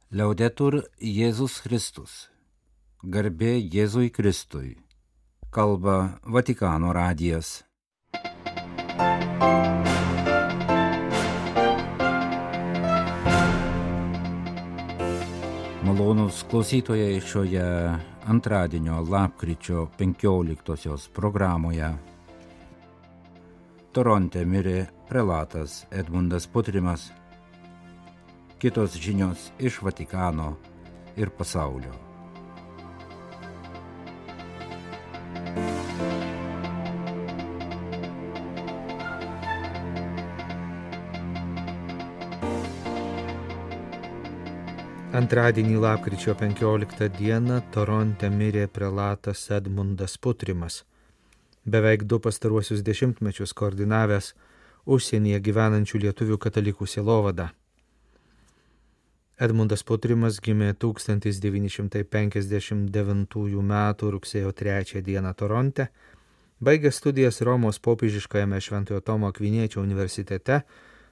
Liaudetur Jėzus Kristus. Garbė Jėzui Kristui. Kalba Vatikano radijas. Malonūs klausytojai šioje antradienio lapkričio 15 programoje. Toronte mirė prelatas Edmundas Putrimas. Kitos žinios iš Vatikano ir pasaulio. Antradienį lapkričio 15 dieną Toronte mirė prelatas Edmundas Putrimas, beveik 2 pastaruosius dešimtmečius koordinavęs užsienyje gyvenančių lietuvių katalikų sielovadą. Edmundas Putrimas gimė 1959 m. rugsėjo 3 d. Toronte, baigė studijas Romos popiežiškajame Šventojo Tomo Akviniečio universitete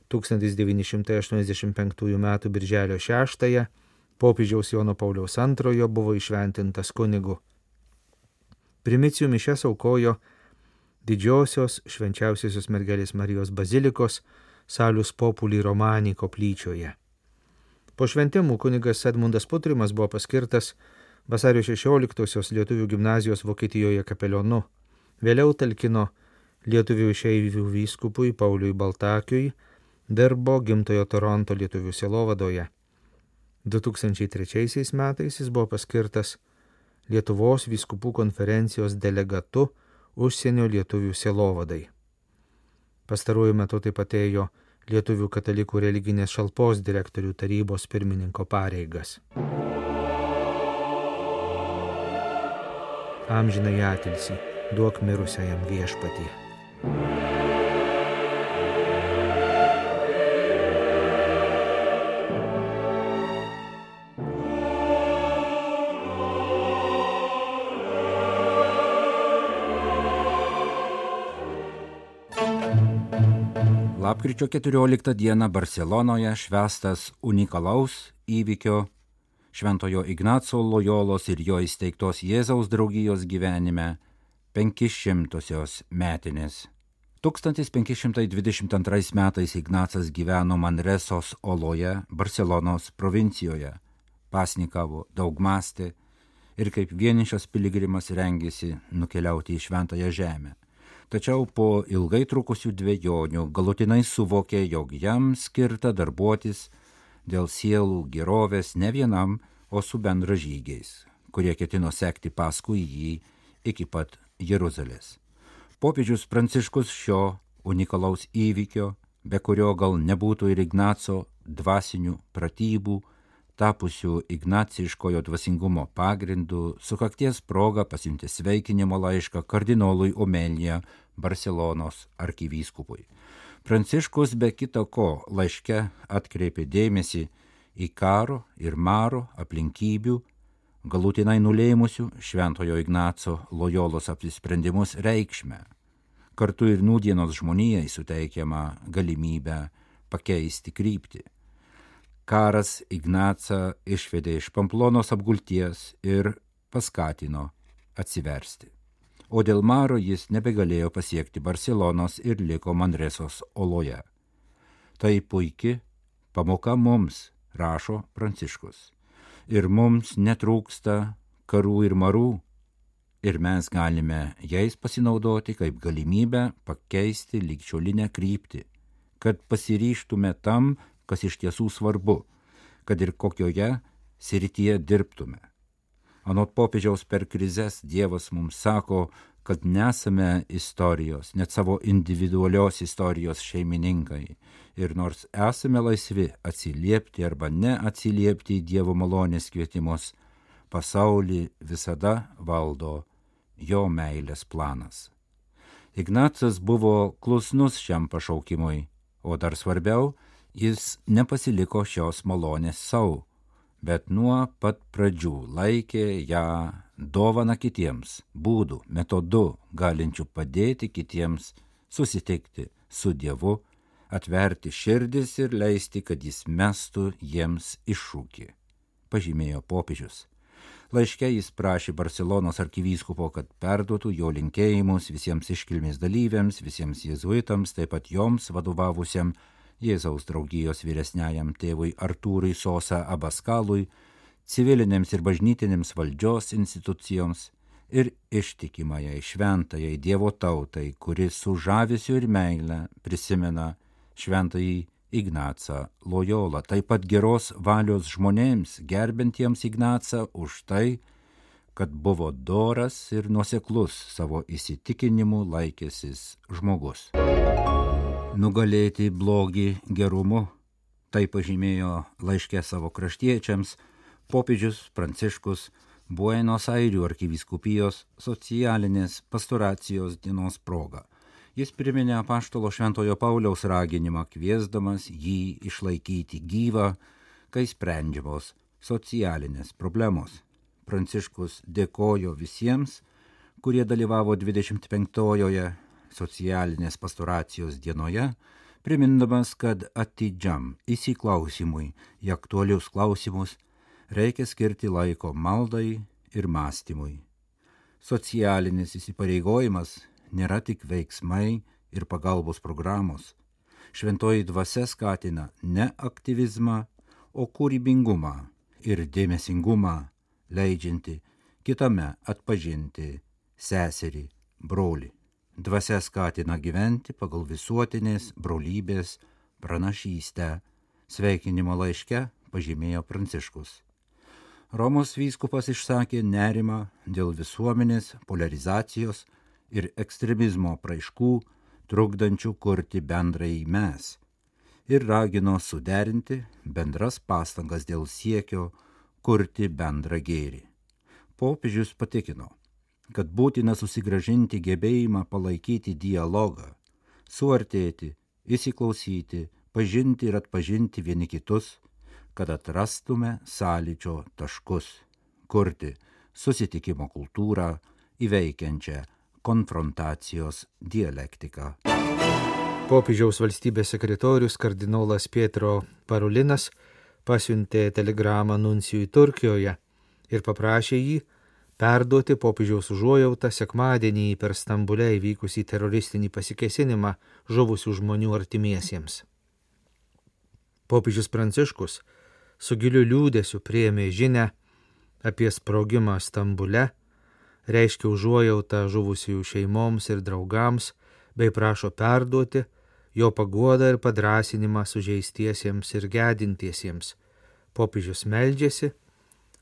1985 m. birželio 6 popiežiaus Jono Pauliaus II buvo įšventintas kunigu. Primicijų mišias aukojo Didžiosios Švenčiausiosios mergelės Marijos bazilikos Salus Populi Romani koplyčioje. Po šventimų kunigas Edmundas Putrimas buvo paskirtas vasario 16 lietuvių gimnazijos Vokietijoje kapelionu. Vėliau talkino lietuvių išeivių vyskupui Pauliui Baltakiui, dirbo gimtojo Toronto lietuvių sielovadoje. 2003 metais jis buvo paskirtas Lietuvos vyskupų konferencijos delegatu užsienio lietuvių sielovadai. Pastaruoju metu taip pat ėjo Lietuvių katalikų religinės šalpos direktorių tarybos pirmininko pareigas. Amžinąjį atilsį duok mirusiajam Viešpatie. Lapkričio 14 dieną Barselonoje švęstas unikalaus įvykio Šventojo Ignaco Lojolos ir jo įsteigtos Jėzaus draugijos gyvenime 500-osios metinės. 1522 metais Ignacas gyveno Manresos oloje, Barselonos provincijoje, pasnikavo, daug mąstė ir kaip vienišas piligrimas rengėsi nukeliauti į Šventąją žemę. Tačiau po ilgai trukusių dvejonių galutinai suvokė, jog jam skirta darbuotis dėl sielų gerovės ne vienam, o su bendražygiais, kurie ketino sekti paskui jį iki pat Jeruzalės. Popiežius Pranciškus šio unikalaus įvykio, be kurio gal nebūtų ir Ignaco dvasinių pratybų, tapusių ignaciškojo dvasingumo pagrindu, sukakties proga pasiuntė sveikinimo laišką kardinolui Omelija Barselonos arkivyskupui. Pranciškus be kita ko laiške atkreipė dėmesį į karo ir maro aplinkybių, galutinai nulėmusių Šventojo Ignaco Lojolos apsisprendimus reikšmę, kartu ir nūdienos žmonijai suteikiamą galimybę pakeisti kryptį. Karas Ignacą išvedė iš Pamplonos apgulties ir paskatino atsiversti. O dėl maro jis nebegalėjo pasiekti Barselonos ir liko Manresos oloje. Tai puiki pamoka mums, rašo Pranciškus. Ir mums netrūksta karų ir marų, ir mes galime jais pasinaudoti kaip galimybę pakeisti ligšiolinę kryptį, kad pasiryžtume tam, kas iš tiesų svarbu, kad ir kokioje srityje dirbtume. Anot popiežiaus per krizes Dievas mums sako, kad nesame istorijos, net savo individualios istorijos šeimininkai. Ir nors esame laisvi atsiliepti arba neatsiliepti į Dievo malonės kvietimus, pasaulį visada valdo jo meilės planas. Ignacas buvo klusnus šiam pašaukimui, o dar svarbiau, jis nepasiliko šios malonės sau, bet nuo pat pradžių laikė ją dovana kitiems, būdų, metodu, galinčių padėti kitiems susitikti su Dievu, atverti širdis ir leisti, kad jis mestų jiems iššūkį. pažymėjo popiežius. Laiške jis prašė Barselonos arkivyskupo, kad perduotų jo linkėjimus visiems iškilmės dalyviams, visiems jėzuitams, taip pat joms vadovavusiam Jėzaus draugijos vyresniajam tėvui Artūrui Sosa Abaskalui, civilinėms ir bažnytinėms valdžios institucijoms ir ištikimajai šventajai Dievo tautai, kuri su žavesiu ir meile prisimena šventąjį Ignacą Lojolą, taip pat geros valios žmonėms, gerbentiems Ignacą už tai, kad buvo doras ir nuoseklus savo įsitikinimu laikęsis žmogus. Nugalėti blogį gerumu, tai pažymėjo laiške savo kraštiečiams popiežius Pranciškus Buenos Airių arkivyskupijos socialinės pastoracijos dienos proga. Jis priminė apaštalo Šventojo Pauliaus raginimą, kviesdamas jį išlaikyti gyvą, kai sprendžiamos socialinės problemos. Pranciškus dėkojo visiems, kurie dalyvavo 25-ojoje socialinės pastoracijos dienoje, primindamas, kad atidžiam įsiklausimui į aktualius klausimus reikia skirti laiko maldai ir mąstymui. Socialinis įsipareigojimas nėra tik veiksmai ir pagalbos programos. Šventoji dvasia skatina ne aktyvizmą, o kūrybingumą ir dėmesingumą, leidžianti kitame atpažinti seserį, brolį. Dvasia skatina gyventi pagal visuotinės brolybės pranašystę, sveikinimo laiške pažymėjo Pranciškus. Romos vyskupas išsakė nerimą dėl visuomenės polarizacijos ir ekstremizmo praiškų, trukdančių kurti bendrąjį mes, ir ragino suderinti bendras pastangas dėl siekio kurti bendrą gėrį. Popiežius patikino, kad būtina susigrąžinti gebėjimą palaikyti dialogą, suartėti, įsiklausyti, pažinti ir atpažinti vieni kitus, kad atrastume sąlyčio taškus, kurti susitikimo kultūrą įveikiančią konfrontacijos dialektiką. Popiežiaus valstybės sekretorius kardinolas Pietro Parulinas pasiuntė telegramą nuncijui Turkijoje ir paprašė jį perduoti popiežiaus užuojautą sekmadienį per Stambule įvykusį teroristinį pasikėsinimą žuvusių žmonių artimiesiems. Popiežius Pranciškus su giliu liūdesiu priėmė žinią apie sprogimą Stambule, reiškia užuojautą žuvusiųjų šeimoms ir draugams, bei prašo perduoti jo paguodą ir padrąsinimą sužeistiesiems ir gedintiesiems. Popiežius meldžiasi,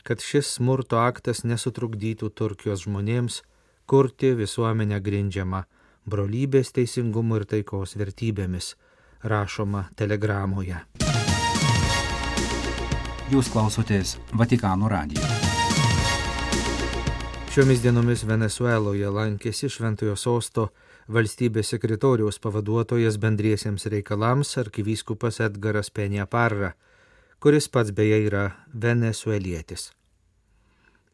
kad šis smurto aktas nesutrukdytų Turkijos žmonėms kurti visuomenę grindžiamą brolybės, teisingumo ir taikos vertybėmis, rašoma telegramoje. Jūs klausotės Vatikano radijo. Šiomis dienomis Venesueloje lankėsi Šventojo Sosto valstybės sekretoriaus pavaduotojas bendriesiems reikalams arkivyskupas Edgaras Peña Parra, kuris pats beje yra venesuelietis.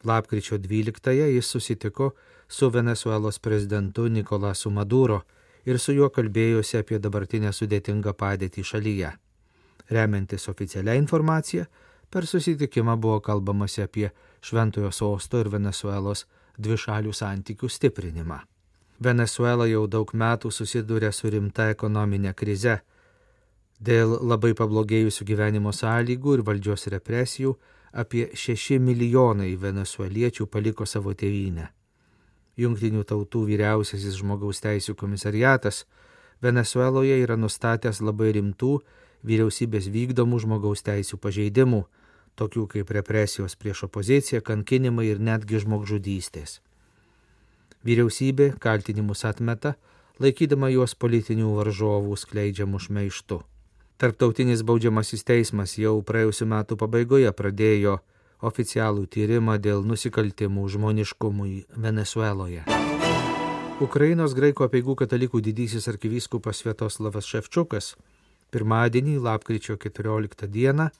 Lapkričio 12-ąją jis susitiko su Venesuelos prezidentu Nikolasu Maduro ir su juo kalbėjosi apie dabartinę sudėtingą padėtį šalyje. Remiantis oficialią informaciją, per susitikimą buvo kalbamasi apie Šventojo Sosto ir Venesuelos dvišalių santykių stiprinimą. Venesuela jau daug metų susiduria su rimta ekonominė krize. Dėl labai pablogėjusių gyvenimo sąlygų ir valdžios represijų apie 6 milijonai venesueliečių paliko savo tėvynę. Jungtinių tautų vyriausiasis žmogaus teisių komisariatas Venesueloje yra nustatęs labai rimtų vyriausybės vykdomų žmogaus teisių pažeidimų, tokių kaip represijos prieš opoziciją, kankinimai ir netgi žmogžudystės. Vyriausybė kaltinimus atmeta, laikydama juos politinių varžovų skleidžiamų šmeižtu. Tarptautinis baudžiamasis teismas jau praėjusių metų pabaigoje pradėjo oficialų tyrimą dėl nusikaltimų žmoniškumui Venesueloje. Ukrainos graikų apeigų katalikų didysis arkivyskupas Sviatoslavas Ševčiukas pirmadienį, lapkričio 14 dieną,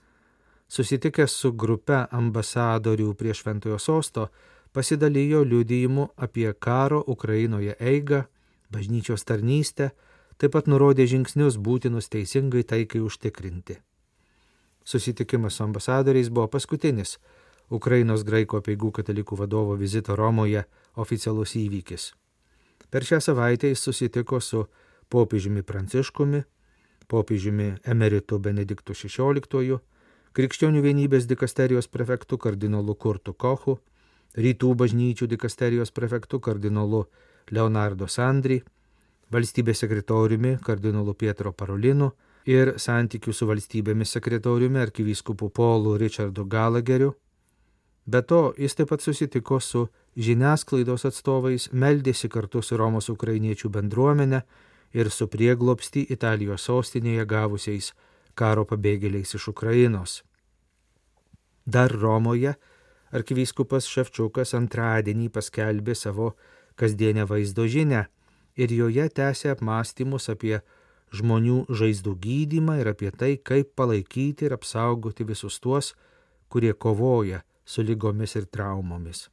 susitikęs su grupe ambasadorių prie Šventojo Sosto, pasidalijo liudijimu apie karo Ukrainoje eigą, bažnyčios tarnystę, taip pat nurodė žingsnius būtinus teisingai taikai užtikrinti. Susitikimas su ambasadoriais buvo paskutinis Ukrainos graikų apeigų katalikų vadovo vizito Romoje oficialus įvykis. Per šią savaitę jis susitiko su popiežiumi Pranciškumi, popiežiumi emeritu Benediktu XVI, Krikščionių vienybės dikasterijos prefektu kardinolu Kurtu Kochu, Rytų bažnyčių dikasterijos prefektu kardinolu Leonardo Sandri, valstybės sekretoriumi kardinolu Pietro Parolinu ir santykių su valstybėmis sekretoriumi arkivyskupu Paulu Richardu Gallagheriu. Be to, jis taip pat susitiko su žiniasklaidos atstovais, meldėsi kartu su Romos ukrainiečių bendruomenė ir su prieglobstį Italijos sostinėje gavusiais karo pabėgėliais iš Ukrainos. Dar Romoje arkivyskupas Ševčiukas antradienį paskelbė savo kasdienę vaizdo žinią ir joje tęsė apmąstymus apie žmonių žaizdų gydymą ir apie tai, kaip palaikyti ir apsaugoti visus tuos, kurie kovoja su ligomis ir traumomis.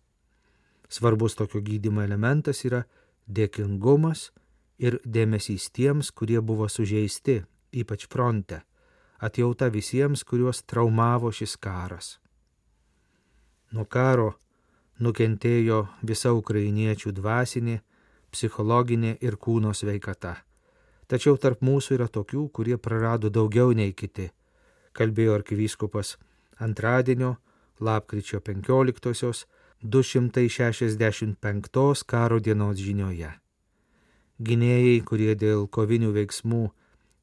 Svarbus tokio gydymo elementas yra dėkingumas ir dėmesys tiems, kurie buvo sužeisti, ypač fronte, atjauta visiems, kuriuos traumavo šis karas. Nuo karo nukentėjo visa ukrainiečių dvasinė, psichologinė ir kūno sveikata. Tačiau tarp mūsų yra tokių, kurie prarado daugiau nei kiti, kalbėjo arkivyskupas antradienio, lapkričio 15-osios 265 karo dienos žinioje. Gynėjai, kurie dėl kovinių veiksmų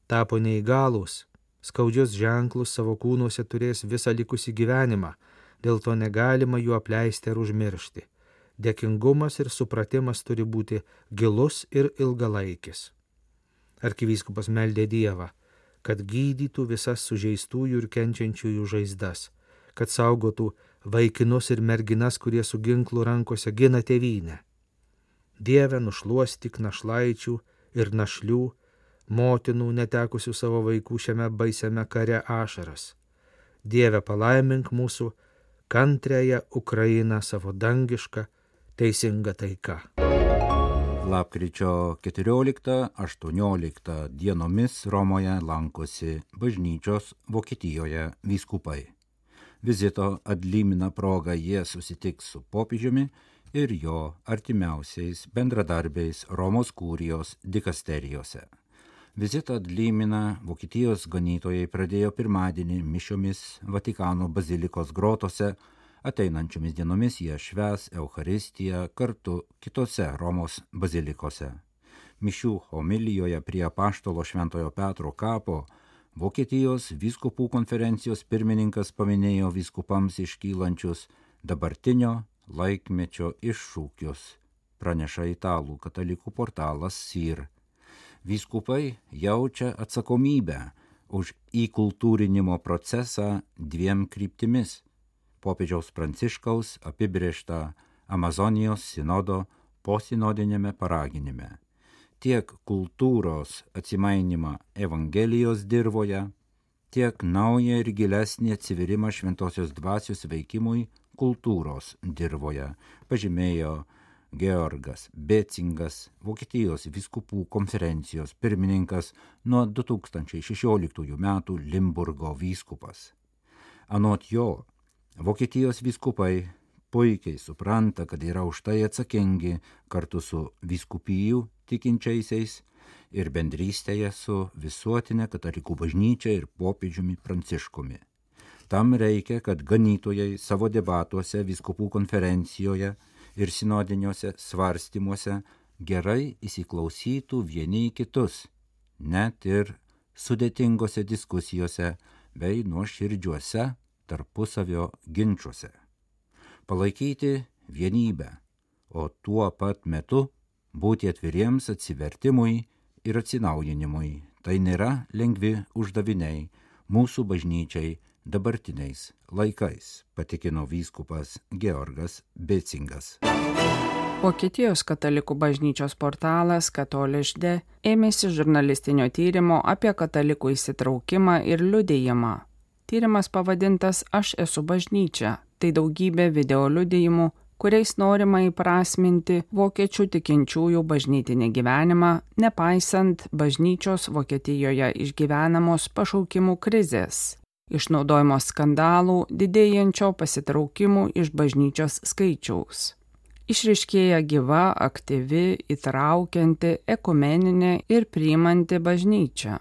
tapo neįgalūs, skaudžius ženklus savo kūnuose turės visą likusį gyvenimą, dėl to negalima jų apleisti ar užmiršti. Dėkingumas ir supratimas turi būti gilus ir ilgalaikis. Arkivyskupas meldė Dievą, kad gydytų visas sužeistųjų ir kenčiančiųjų žaizdas, kad saugotų vaikinus ir merginas, kurie su ginklu rankose gina tėvynę. Dieve, nušluostyk našlaičių ir našlių, motinų netekusių savo vaikų šiame baisiame kare ašaras. Dieve, palaimink mūsų kantriąją Ukrainą savo dangišką, teisingą taiką. Lapkričio 14-18 dienomis Romoje lankosi bažnyčios Vokietijoje vyskupai. Vizito Adlimina proga jie susitiks su popiežiumi ir jo artimiausiais bendradarbiais Romos kurijos dikasterijose. Vizitą Adlimina Vokietijos ganytojai pradėjo pirmadienį mišiomis Vatikano bazilikos grotose, ateinančiomis dienomis jie švęs Eucharistiją kartu kitose Romos bazilikose. Mišių homilijoje prie apaštalo Šventojo Petro kapo Vokietijos vyskupų konferencijos pirmininkas paminėjo vyskupams iškylančius dabartinio laikmečio iššūkius, praneša italų katalikų portalas SIR. Vyskupai jaučia atsakomybę už įkultūrinimo procesą dviem kryptimis – popiežiaus Pranciškaus apibrėžtą Amazonijos sinodo posinodinėme paraginime. Tiek kultūros atsimainimą Evangelijos dirvoje, tiek naują ir gilesnį atsiverimą šventosios dvasios veikimui kultūros dirvoje, pažymėjo Georgas Becingas, Vokietijos vyskupų konferencijos pirmininkas nuo 2016 metų Limburgo vyskupas. Anot jo, Vokietijos vyskupai puikiai supranta, kad yra už tai atsakingi kartu su vyskupijų tikinčiaisiais ir bendrystėje su visuotinė katalikų bažnyčia ir popiežiumi Pranciškumi. Tam reikia, kad ganytojai savo debatuose vyskupų konferencijoje ir sinodiniuose svarstymuose gerai įsiklausytų vieni į kitus, net ir sudėtingose diskusijose bei nuoširdžiuose tarpusavio ginčuose. Palaikyti vienybę, o tuo pat metu būti atviriems atsivertimui ir atsinaujinimui. Tai nėra lengvi uždaviniai mūsų bažnyčiai dabartiniais laikais, patikino vyskupas Georgas Becingas. Vokietijos katalikų bažnyčios portalas Katolišde ėmėsi žurnalistinio tyrimo apie katalikų įsitraukimą ir liudijimą. Tyrimas pavadintas Aš esu bažnyčia. Tai daugybė video liudijimų, kuriais norima įprasminti vokiečių tikinčiųjų bažnytinį gyvenimą, nepaisant bažnyčios Vokietijoje išgyvenamos pašaukimų krizės. išnaudojimo skandalų, didėjančio pasitraukimų iš bažnyčios skaičiaus. Išryškėja gyva, aktyvi, įtraukianti, ekumeninė ir priimanti bažnyčia.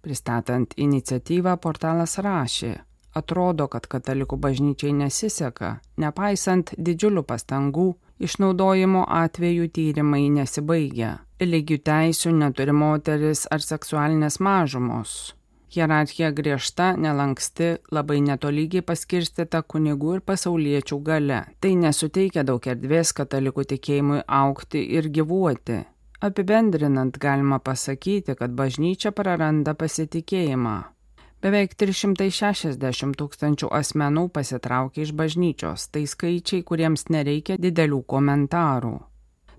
Pristatant iniciatyvą, portalas rašė: atrodo, kad katalikų bažnyčiai nesiseka, nepaisant didžiulių pastangų, išnaudojimo atvejų tyrimai nesibaigia. Lygių teisių neturi moteris ar seksualinės mažumos. Hierarchija griežta, nelanksti, labai netolygiai paskirstyta kunigų ir pasauliečių galia. Tai nesuteikia daug erdvės katalikų tikėjimui augti ir gyvuoti. Apibendrinant, galima pasakyti, kad bažnyčia praranda pasitikėjimą. Beveik 360 tūkstančių asmenų pasitraukia iš bažnyčios, tai skaičiai, kuriems nereikia didelių komentarų.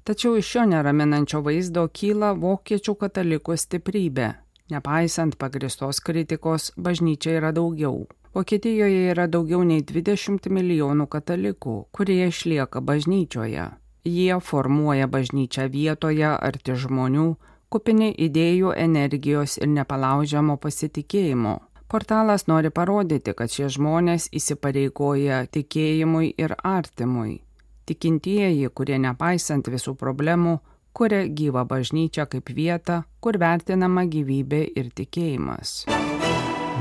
Tačiau iš šio neraminančio vaizdo kyla vokiečių katalikų stiprybė. Nepaisant pagristos kritikos, bažnyčia yra daugiau. Vokietijoje yra daugiau nei 20 milijonų katalikų, kurie išlieka bažnyčioje. Jie formuoja bažnyčią vietoje arti žmonių, kupini idėjų, energijos ir nepalaužiamo pasitikėjimo. Portalas nori parodyti, kad šie žmonės įsipareigoja tikėjimui ir artimui. Tikintieji, kurie nepaisant visų problemų, kuria gyvą bažnyčią kaip vietą, kur vertinama gyvybė ir tikėjimas.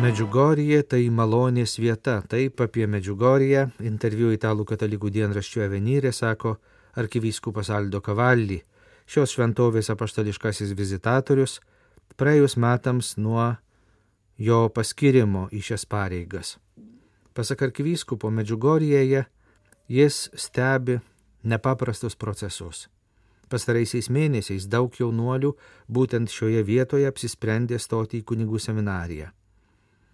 Medžiugorje tai malonės vieta. Taip apie Medžiugorję interviu italų katalikų dienraščių Avenire sako arkivyskupas Aldo Cavalli, šios šventovės apaštališkasis vizitatorius, praėjus metams nuo jo paskirimo į šias pareigas. Pasak arkivyskupo, Medžiugorjėje jis stebi nepaprastus procesus. Pastaraisiais mėnesiais daug jaunuolių būtent šioje vietoje apsisprendė stoti į kunigų seminariją.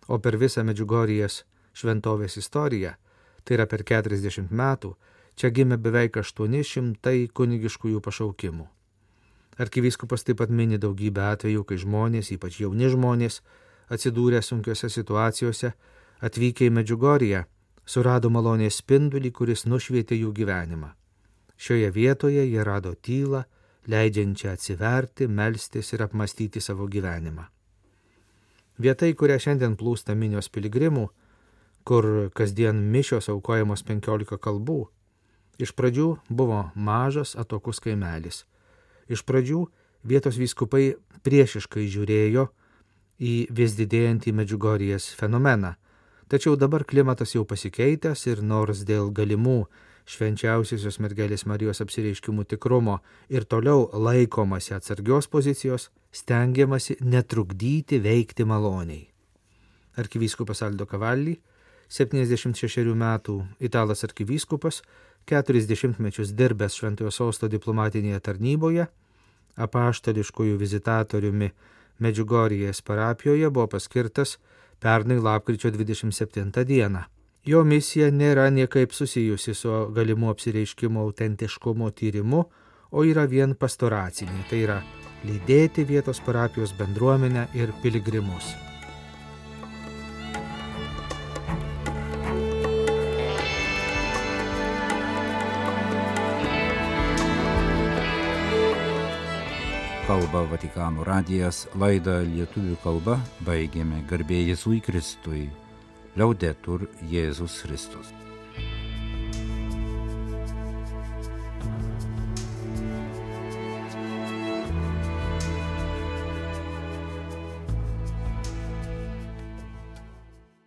O per visą Medžiugorjės šventovės istoriją, tai yra per 40 metų, čia gimė beveik 800 kunigiškųjų pašaukimų. Arkivyskupas taip pat mini daugybę atvejų, kai žmonės, ypač jauni žmonės, atsidūrę sunkiose situacijose, atvykę į Medžiugorję, surado malonės spindulį, kuris nušvietė jų gyvenimą. Šioje vietoje jie rado tylą, leidžiančią atsiverti, melstis ir apmastyti savo gyvenimą. Vieta, į kurią šiandien plūsta minios piligrimų, kur kasdien mišios aukojamos 15 kalbų, iš pradžių buvo mažas atokus kaimelis. Iš pradžių vietos vyskupai priešiškai žiūrėjo į vis didėjantį Medžiugorjės fenomeną, tačiau dabar klimatas jau pasikeitęs ir nors dėl galimų švenčiausiosios mergelės Marijos apsireiškimų tikrumo ir toliau laikomasi atsargios pozicijos, stengiamasi netrukdyti veikti maloniai. Arkivyskupas Aldo Cavalli, 76 metų italas arkivyskupas, 40 mečius dirbęs Šventojo Sosto diplomatinėje tarnyboje, apaštališkųjų vizitatoriumi Medžiugorjės parapijoje buvo paskirtas pernai lapkričio 27 dieną. Jo misija nėra niekaip susijusi su galimų apsireiškimo autentiškumo tyrimu, o yra vien pastoracinė, tai yra lydėti vietos parapijos bendruomenę ir piligrimus. Kalba Vatikano radijas, laidą lietuvių kalba baigėme. Garbė Jėzui Kristui. Liaudetur Jėzus Kristus.